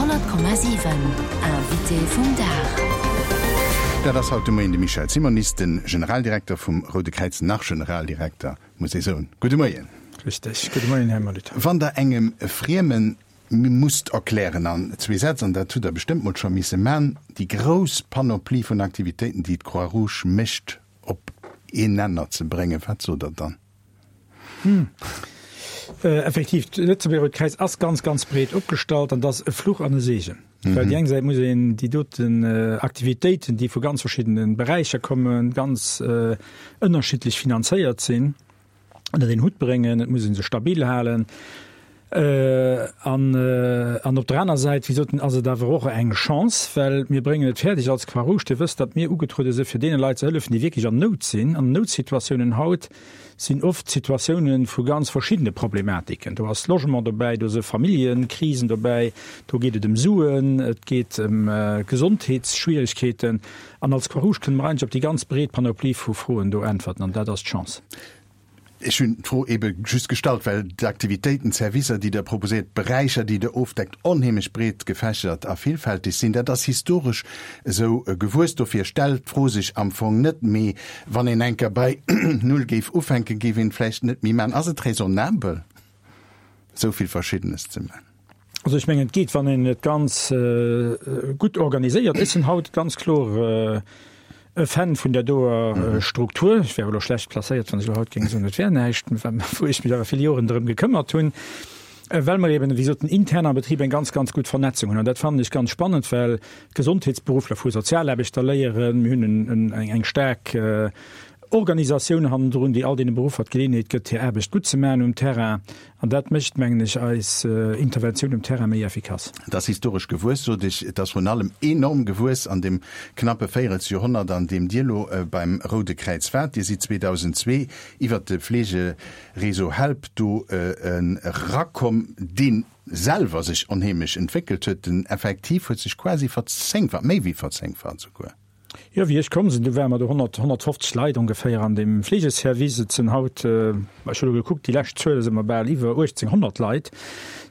100,7 Invité vum Dag. Dat ass haut de Moien de Michel Simonis, de Generaldirekter vum Roude Kräiz, nach Generaldirekter, muss ee soen. Gudde Moien. Richteg. Gudde Moien, Här Molitor. Wann Der engem Friemen musst erklären an zwee Sätz, an dat hutt Der bestëmmt mol scho misse man, déi grouss Panoplie vun Aktivitéiten, déi d'Croix-Rouge mécht, op een Nenner ze bréngen, wat sot Der dann? Hm. Effektiv, d'Lëtzebuerger Rout Kräiz ass ganz, ganz breet opgestallt an dat ass e Fluch an e Segen. Well déi eng Säit muss een déi doten Aktivitéiten, déi vu ganz verschiddene Beräicher kommen, ganz ënnerschiddlech finanzéiert sinn, ënnert een Hutt bréngen. Et muss ee se stabil halen. An, an op der aner Säit, wéi gesot, ass et awer och eng Chance, well mir bréngen et fäerdeg als Croix-Rouge, Dir wësst, datt mir ugetruede si fir deene Leit ze hëllefen, déi wierklech an Nout sinn. An Noutsituatiounen haut sinn oft Situatiounen vu ganz verschiddene Problematiken. Do ass Logement dobäi, do si Familljekrisen dobäi, do geet et ëm Suen, et geet ëm Gesondheetsschwierigkeeten. An als Croix-Rouge kënne mer eigentlech op déi ganz breet Panoplie vu Froen do äntwerten, an dat ass d'Chance. Ech hunn d'Fro eebe just gestallt, well d'Aktivitéiten, d'Servicer, déi Der proposéiert, d'Beräicher, déi Der ofdeckt, onheemlech breet gefächert a villfälteg sinn. Dat ass historesch esou gewuess. Dofir stellt d'Fro sech am Fong net. Mee wann een eng Kéier bei Null géif ufänken, géif een et vläicht net méi maachen. Ass et raisonnabel, esou vill Verschiddenes ze maachen? Also ech mengen, et geet, wann een et ganz gutt organiséiert. Ech sinn haut ganz kloer E Fan vun där doer Struktur. Ech wär elo schlecht placéiert, wann ech elo haut géing soen, et wär näischt, wou ech mech awer vill Joren drëm gekëmmert hunn, well mer eben, wéi gesot, intern am Betrib eng ganz, ganz gutt Vernetzung hunn. An dat fannen ech ganz spannend, well d'Gesondheetsberuffler vu Sozialaarbechter léieren. Mir hunn eng staark Organisatioun hannendrun, déi all deene Beruffer d'Geleeënheet gëtt, hir Aarbecht gutt ze maachen um Terrain. An dat mécht, mengen ech, eis Interventioun um Terrain méi effikass. Et ass historesch gewuess, sot ech. Et ass vrun allem enorm gewuess an deem knappe Véierelsjoerhonnert, an deem Dir elo beim Roude Kräiz waart. Dir sidd 2002 iwwert de Fleegereseau Help do erakomm, dee selwer sech onheemlech entwéckelt huet. Den Effektiv huet sech quasi verzéngfacht, méi wéi verzéngfacht souguer. Jo, wéi ech komm sinn, du ware mer do 100, 150 Leit ongeféier an deem Fleegeservice. Et sinn haut, ech hu elo gekuckt, déi lescht Zuele si mer bal iwwer 1.800 Leit,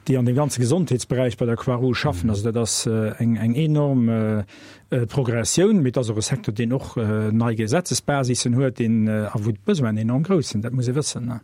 déi an deem ganze Gesondheetsberäich bei der Croix-Rouge schaffen. Also dat ass eng, eng enorm Progressioun. Mee et ass och e Secteur, deen och nei Gesetzesbasissen huet, deen, a wou d'Besoinen enorm grouss sinn. Dat muss ee wëssen.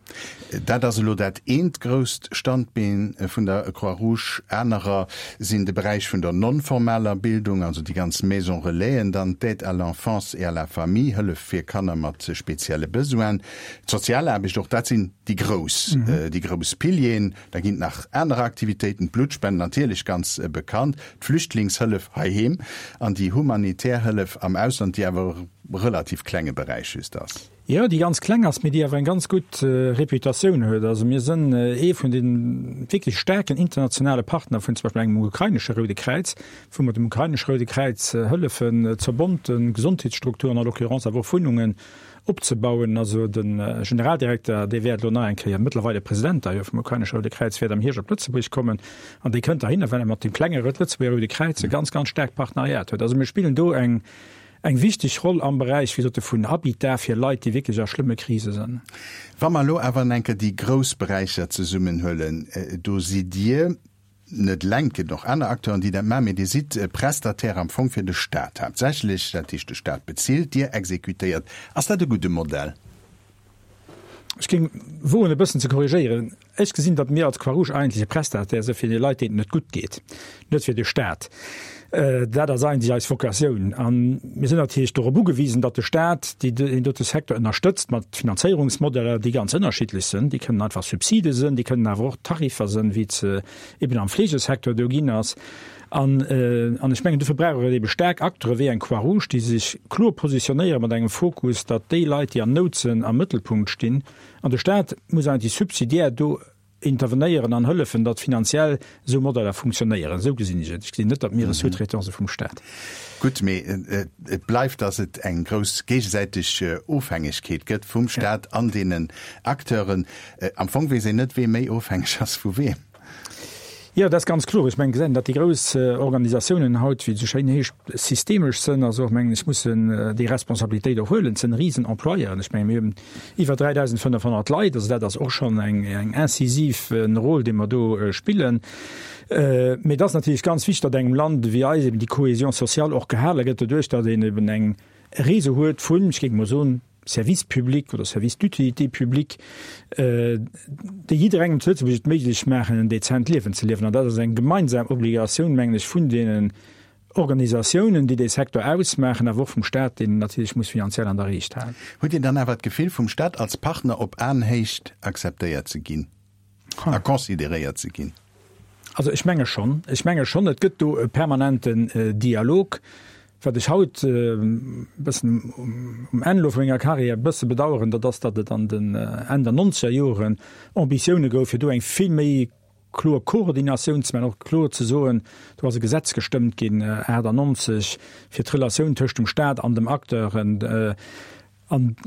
Dat ass elo dat eent grousst Standbeen vun der Croix-Rouge. Anerer sinn de Beräich vun der non-formaler Bildung, also déi ganz Maisons Relaisen, dann d'Aide à l'enfance et à la famille, Hëllef fir Kanner mat spezielle Besoinen, d'Sozialaarbecht, och dat sinn déi grouss, déi grouss Pilieren. Da ginn et nach aner Aktivitéiten, d'Bluttspend natierlech ganz bekannt, d'Flüchtlingshëllef heiheem an déi humanitär Hëllef am Ausland, déi awer e relativ klenge Beräich just ass. Jo, déi ganz kleng ass, mee déi awer eng ganz gutt Reputatioun huet. Also mir sënn ee vun de wierklech staarken internationale Partner vun zum Beispill engem ukrainesche Roude Kräiz, wou mer dem ukrainesche Roude Kräiz hëllefen, zerbonnte Gesondheetsstrukturen, à l'occurrence awer och Wunnungen opzebauen. Also de Generaldirekter, dee wäert elo nach eng Kéier, mëttlerweile President d'ailleurs vum ukrainesche Roude Kräiz, wäert am Hierscht op Lëtzebuerg kommen an dee kënnt dohinner, well e mat deem klenge Lëtzebuerger Roude Kräiz e ganz, ganz staarkt Partenariat huet. Also mir spillen do eng Eng wichteg Roll am Beräich, wéi gesot, vun Habitat fir Leit, déi wierklech a schlëmme Krise sënn. Wa mer elo awer en enker déi grouss Beräicher zesummenhuelen, do sidd Dir net eleng, et gëtt och aner Acteuren, déi dat maachen, mee Dir sidd Prestataire am Fong fir de Stat haaptsächlech, dat heescht de Stat bezilt, Dir exekutéiert. Ass dat e gudde Modell? Ech géing woen e bëssen ze korrigéieren. Ech gesinn, datt mir als Croix-Rouge eigentlech e Prestataire si fir déi Leit, deenen et net gutt geet, net fir de Staat. Dat ass eigentlech eis Vocatioun. A mir sinn natierlech dorop ugewisen, datt de Staat déi, deen dote Secteur ënnerstëtzt mat Finanzéierungsmodeller, déi ganz ënnerschiddlech sinn. Déi kënnen einfach Subside sinn, déi kënnen awer och Tariffer sinn, wéi et se eben am Fleegesecteur do ginn ass. An, an ech mengen, dofir brauch et ebe staark Acteure wéi eng Croix-Rouge, déi sech kloer positionéiere mat engem Fokus, datt déi Leit, déi an Nout sinn, am Mëttelpunkt stinn. An de Staat muss eigentlech subsidiär do intervenéieren an hëllefen, datt finanziell esou Modeller funktionéieren. Esou gesinn ech et. Ech gesinn net, datt mir e Sous-traitant si vum Staat. Gutt, mee et bleift, datt et eng grouss géigesäiteg Ofhängegkeet gëtt vum Staat an deenen Acteuren. Am Fong weess een net, wee méi ofhängeg ass vu weem. Jo, dat ass ganz kloer. Ech mengen, gesäit een, datt déi grouss Organisatiounen haut, wéi et esou schéin heescht, systemesch sënn, also och, mengen ech, mussen déi Responsabilitéit och huelen. Et sënn Risenemployeuren. Ech mengen, mir hunn iwwer 3.500 Leit, also dat ass och schonn eng eng incisiv Rôle, dee mer do spillen. Mee et ass natierlech ganz wichteg, datt engem Land ewéi eis eben déi Cohésion sociale och gehale gëtt, doduerch datt een eben eng Réseau huet vun, ech géing emol soen, Services publics oder Services d'utilité publique, déi jidderengem zu Lëtzebuerg et méiglech maachen, en dezent Liewen ze liewen. An dat ass eng gemeinsam Obligatioun, mengen ech, vun deenen Organisatiounen, déi dee Secteur ausmaachen, awer och vum Stat, deen en natierlech muss finanziell an der Riicht halen. Hutt Dir dann awer d'Gefill, vum Stat als Partner op Aenhéicht akzeptéiert ze ginn a consideréiert ze ginn? Also ech menge schonn. Ech menge schonn, et gëtt do e permanenten Dialog. Wat ech haut e bëssen um Enn elo vu menger Carrière e bësse bedauern, dat ass, datt et an den Enn der nonzeger Joren Ambitioune gouf, fir do eng vill méi kloer Koordinatioun ze maachen, och kloer ze soen, do ass e Gesetz gestëmmt ginn 98 fir d'Relatioun tëscht dem Stat an dem Acteuren an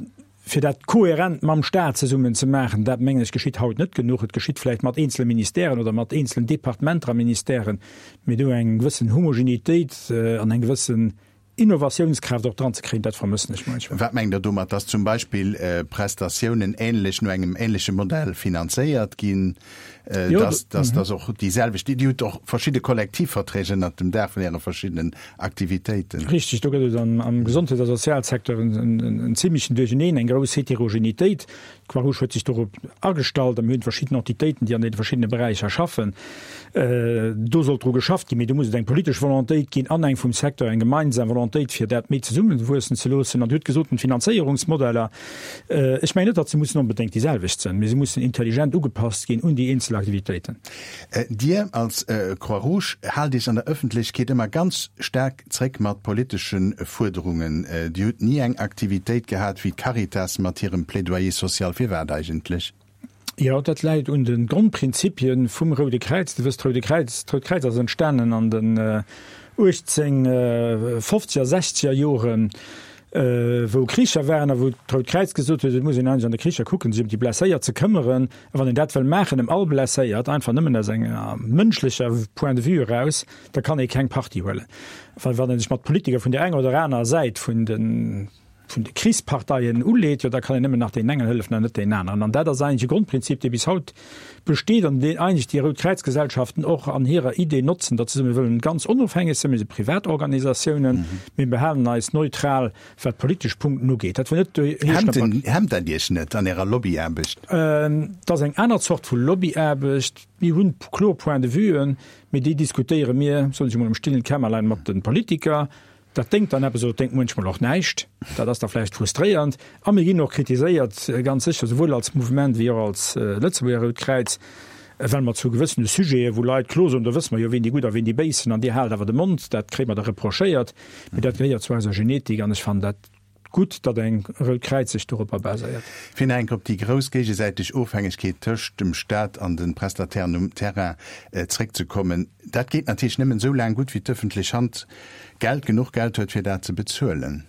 fir dat kohärent mam Stat zesummen ze maachen. Dat, mengen ech, geschitt haut net genuch. Et geschitt vläicht mat eenzele Ministèren oder mat eenzelen Departementer a Ministèren, mee do eng gewëssen Homogenitéit an eng gewëssen Innovatiounskraaft och dran ze kréien, dat vermëssen ech munchmol. Wat mengt Der domat, dass zum Beispill Prestatiounen ähnlech, no engem ähnleche Modell finanzéiert ginn, dass, dass, dass och déi selwecht, Dir hutt och verschidde Kollektivverträg ënnert dem Daach vun Äre verschiddenen Aktivitéiten. Richtig, do gëtt et am Gesondheets a Sozialsecteur en zimlechen Duercheneen, eng grouss Heterogenitéit. D'Croix-Rouge huet sech dorop agestallt a mir hunn verschidden Entitéiten, déi an deene verschiddene Beräicher schaffen. Do sollt dru geschafft ginn, mee do muss et eng politesch Volontéit ginn an eng vum Secteur, eng gemeinsam Volontéit, fir dat méi zesummewuessen ze loossen. An Dir hutt gesot, den Finanzéierungsmodeller, ech mengen net, datt se mussen onbedéngt déi selwecht sinn, mee se mussen intelligent ugepasst ginn un déi eenzel Aktivitéiten. Dir als Croix-Rouge haalt Iech an der Ëffentlechkeet ëmmer ganz staark Zréck mat politesche Fuerderungen. Dir hutt ni eng Aktivitéit gehat wéi d'Caritas mat hirem Plaidoyer social. Firwat eigentlech? Jo, dat läit un de Grondprinzipie vum Roude Kräiz. Dir wësst, d'Roude Kräiz, d'Rout Kräiz ass entstanen an den 1850er, sechzeger Joren, wou Kricher waren a wou d'Rout Kräiz gesot huet, et muss een eigentlech an de Kricher kucken, sech ëm déi Blesséiert ze këmmeren. A wann een dat wëll maachen, ëm all Blesséiert, einfach nëmmen aus enger mënschlecher Point de vue eraus, da kann ee keng Partie huelen, well wann ee sech mat Politiker vun där enger oder anerer Säit vun de vun de Krichsparteien uleet, jo da kann een nëmmen nach deenen engen hëllefen an net deenen aneren. An dat ass eigentlech e Grondprinzip, dee bis haut besteet an deen eigentlech déi Rout Kräiz-Gesellschaften och an hirer Idee notzen, datt se soen, mir wëllen ganz onofhängeg sinn, mir si Privatorganisatiounen, mir behalen eis neutral, wat politesch Punkten ugeet. Dat wëll net heeschen, datt mer. Hemmt dat Iech net an Ärer Lobbyaarbecht? Dat ass eng aner Zort vu Lobbyaarbecht. Mir hunn kloer Point-de-vuen, Mee déi diskutéiere mir, soen ech emol, am stillen Kämmerlein mat de Politiker. Dat déngt dann eppes oder et déngt muenchmol och näischt. Dat ass da vläicht frustréiernd. A mir ginn och kritiséiert, ganz sécher, souwuel als Mouvement wéi och als Lëtzebuerger Rout Kräiz, well mer zu gewëssene Sujete, wou Leit klo soen, do wësse mer jo, wien déi Gutt a wien déi Béis sinn an Dir haalt awer de Mond, dat kréie mer da reprochéiert. Mee dat gehéiert zu eiser Genetik an ech fannen dat Gutt, datt eng Rout Kräiz sech doropper baséiert. Fir nach eng Kéier op déi grouss géigesäiteg Ofhängegkeet tëscht dem Staat an de Prestatairen um Terrain zréckzekommen, Dat geet natierlech nëmmen esou laang gutt, wéi d'ëffentlech Hand Geld, genuch Geld huet, fir dat ze bezuelen.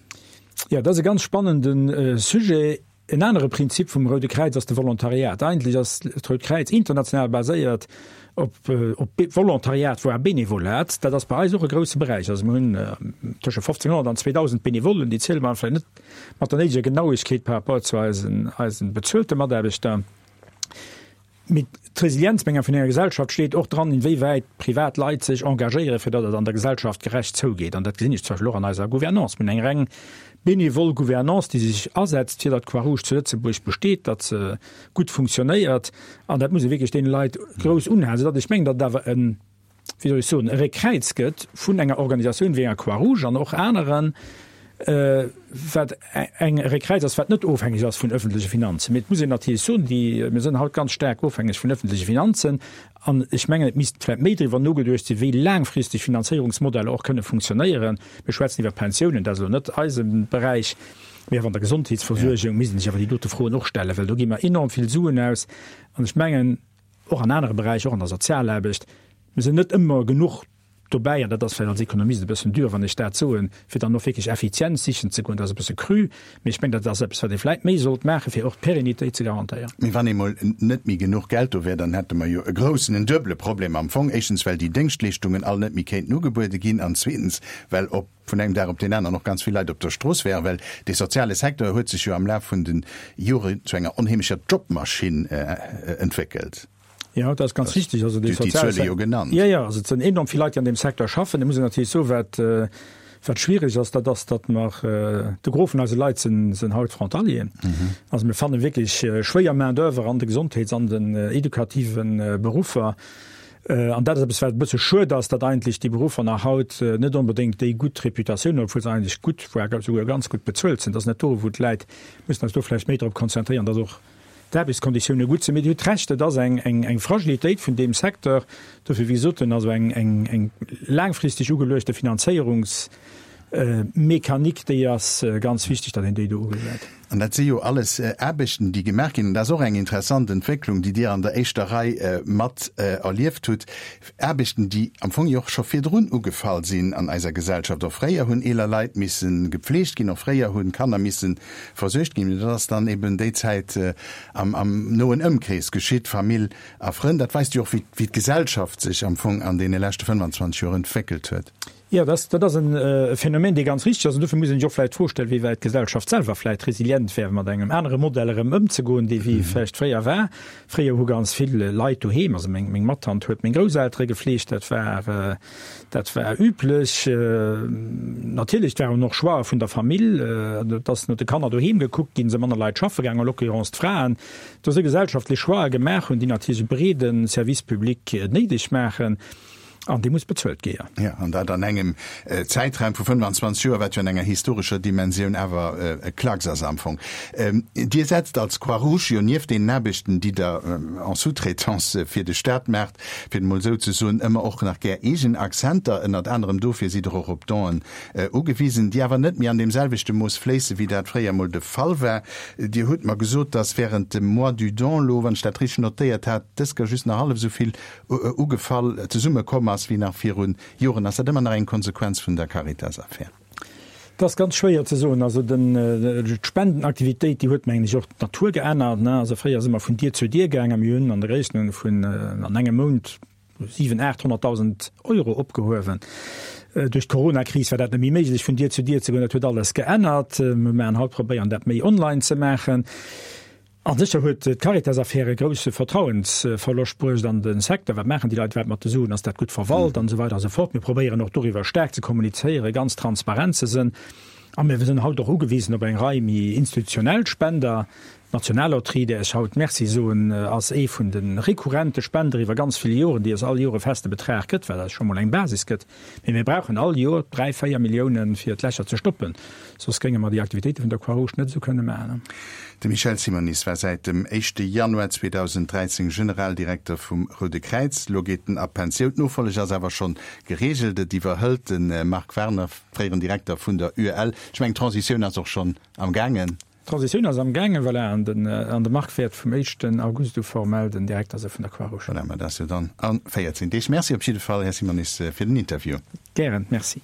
Jo, dat ass e ganz spannende Sujet. En anere Prinzip vum Roude Kräiz ass de Volontariat. Eigentlech ass d'Rout Kräiz international baséiert op op Volontariat, voire Benevolat. Dat ass bei eis och e grousse Beräich. Also mir hunn tësche 1.500 an 2.000 Benevollen, déi ziele mer vläicht net mat der néideger Genauegkeet par rapport zu eisen eisen bezuelte Mataarbechter. Mee d'Resilienz, meng vun enger Gesellschaft steet och dran, inwéiwäit privat Leit sech engagéieren, fir datt et an der Gesellschaft gerecht zougeet. An dat gesinn ech zum Beispill och an eiser Gouvernance. Mir hunn eng reng benevol Gouvernance, déi sech asetzt, fir datt d'Croix-Rouge zu Lëtzebuerg besteet, datt se gutt funktionéiert. An dat muss ee wierklech deene Leit grouss unhalen, soudatt ech mengen, datt et awer en, wéi soll ech soen, e Réckkräiz gëtt vun enger Organisatioun wéi enger Croix-Rouge an och aneren, wat eng Réckkräiz ass, wat net ofhängeg ass vun öffentleche Finanzen. Mee et muss een natierlech soen, déi, mir sinn haut ganz staark ofhängeg vun öffentleche Finanzen. An ech mengen, et misst vläicht méi driwwer nogeduecht sinn, wéi laangfristeg Finanzéierungsmodeller och kënne funktionéieren. Mir schwätzen iwwer Pensiounen, dat ass elo net eise Beräich, mee awer an der Gesondheetsversuergung misst een sech awer déi dote Froen och stellen, well do gi mer enorm vill Suen aus. An ech mengen, och an anere Beräicher, och an der Sozialaarbecht, mir sinn net ëmmer genuch. Dobäi, an dat ass vläicht als Ekonomist e bëssen dur, wann ech dat soen, fir dann och wierklech Effizienz sichen ze goen, dat ass e bësse cru, mee ech mengen, dat ass eppes, wat ee vläicht méi sollt maachen, fir och d'Pérennitéit ze garantéieren. Mee wann eemol net méi genuch Geld do wär, dann hätte mer jo e groussen, en duebele Problem am Fong, éischtens, well déi Déngschtleeschtungen all net méi kéinten ugebuede ginn, an zweetens, well op vun engem Dag op deen aneren och ganz vill Leit op der Strooss wären, well dee soziale Secteur huet sech jo am Laf vun de Joren zu enger onheemlecher Jobmaschinn entwéckelt. Jo, dat ass ganz richtig. Also déi sozial Zuele jo genannt. Jo, jo, also et sinn enorm vill Leit, déi an deem Secteur schaffen. Et muss een natierlech soen, wat, wat schwierig ass, dat ass, datt mer, de Gros vun eise Leit sinn, sinn haut Frontalieren. Also mir fanne wierklech schwéier Main d'oeuvre an de Gesondheets an den edukative Beruffer. An dat ass eppes, wat e bësse schued ass, datt eigentlech déi Beruffer nach haut net onbedéngt déi gutt Reputatioun hunn, obwuel se eigentlech gutt, voire souguer ganz gutt bezuelt sinn. Dat ass net do, wou d'Läit mussen eis do vläicht méi drop konzentréieren, datt och d'Aarbechtskonditioune gutt sinn. Mee Dir hutt Recht, et ass eng Fragilitéit vun deem Secteur. Dofir, wéi gesot, also eng laangfristeg ugeluechte Finanzéierungsmechanik, déi ass ganz wichteg, datt een déi do ugesäit. An dat si jo alles Aarbechten, déi gemaach ginn. An dat ass och eng interessant Entwécklung, déi Dir an der éischter Rei mat erlieft hutt. Aarbechten, déi am Fong jo och scho virdrun ugefall sinn an eiser Gesellschaft. Och fréier hunn eeler Leit misse gepfleegt ginn, och fréier hu Kanner misse versuergt ginn. Mee dat ass dann eben déi Zäit am noen Ëmkrees geschitt, Famill a Frënn. Dat weist jo och, wéi d'Gesellschaft sech am Fong an deene leschte 25 Joer entwéckelt huet. Jo, dat ass e Phänomen, dee ganz richteg ass. An dofir muss een sech och vläicht d'Fro stellen, wéi wäit d'Gesellschaft selwer vläicht resilient wär, mat engem anere Modell erëm ëmzegoen, dee wéi vläicht fréier war. Fréier hu ganz vill Leit doheem, also meng, meng Mattant huet meng Grousseltere gefleegt, dat war, dat war üblech. Natierlech, et waren och Choixë vun der Famill, et ass no de Kanner doheem gekuckt ginn, se manner Leit schaffe gaangen, en l'occurrence d'Fraen. Do si gesellschaftlech Choixë gemaach hunn, déi natierlech e breede Service public néideg maachen. An dee muss bezuelt gi, jo. Jo, an dat an engem Zäitraum vu 25 Joer, wat jo an enger historescher Dimensioun awer e Klacks ass am Fong. Dir setzt als Croix-Rouge jo nieft deenen Aarbechten, déi Der en sous-traitance fir de Staat maacht, fir et emol esou ze soen, ëmmer och nach gär eegen Akzenter. Ënnert anerem dofir sidd Der och op Donen ugewisen, déi awer net méi an deem selwechte Mooss fléisse wéi dat fréier emol de Fall war. Dir hutt mer gesot, dass während dem Mois du Don elo, wann ech dat richteg notéiert hat, dës Kéier just nach hallef esou vill ugefall zesumme komm ass wéi nach viru Joren. Ass dat ëmmer nach eng Konsequenz vun der Caritas-Affär? Dat ass ganz schwéier ze soen. Also d'Spendenaktivitéit, déi huet, mengen ech, och d'Natur geännert. Also fréier si mer vun Dier zu Dier gaangen a mir hunn an der Gréisstenordnung vun an engem Mount 700.000, 800.000 Euro opgehuewen. Duerch d'Coronakris war dat net méi méiglech, vun Dier zu Dier ze goen. Dat huet alles geännert. Mir maachen haut, probéieren dat méi online ze maachen. A sécher huet d'Caritas-Affär e grousse Vertrauensverloscht bruecht an de Secteur. Wat maachen déi Leit iwwerhaapt mat de Suen? Ass dat gutt verwalt? An esou weider a sou fort. Mir probéieren och doriwwer staark ze kommunizéieren, ganz transparent ze sënn. A mir sinn haut och ugewisen op eng Rei méi institutionell Spender. D'Nationallotterie, där ech haut Merci soen, ass ee vun de rekurrente Spender iwwer ganz vill Joren, déi eis all Joer e feste Betrag gëtt, wat eis scho mol eng Basis gëtt. Mee mir brauchen all Joer 3, 4 Milliounen, fir d'Lächer ze stoppen, soss géinge mer déi Aktivitéite vun der Croix-Rouge net esou kënne maachen. De Michel Simonis war säit dem éischte Januar 2013 Generaldirekter vum Roude Kräiz. Elo geet en a Pensioun. D'Nofolleg ass awer schonn gereegelt. Et iwwerhëlt de Marc Werner, fréieren Direkter vun der UEL. Ech mengen, d'Transitioun ass och schonn am gaangen. D'Transitioun ass am gaangen, voilà, an den, an de Marc wäert vum éischten August u formell den Direkter si vun der Croix-Rouge. Voilà, ma dat ass jo dann a 14 Deeg. Merci op jidde Fall, Här Simonis, fir den Interview. Gären, merci.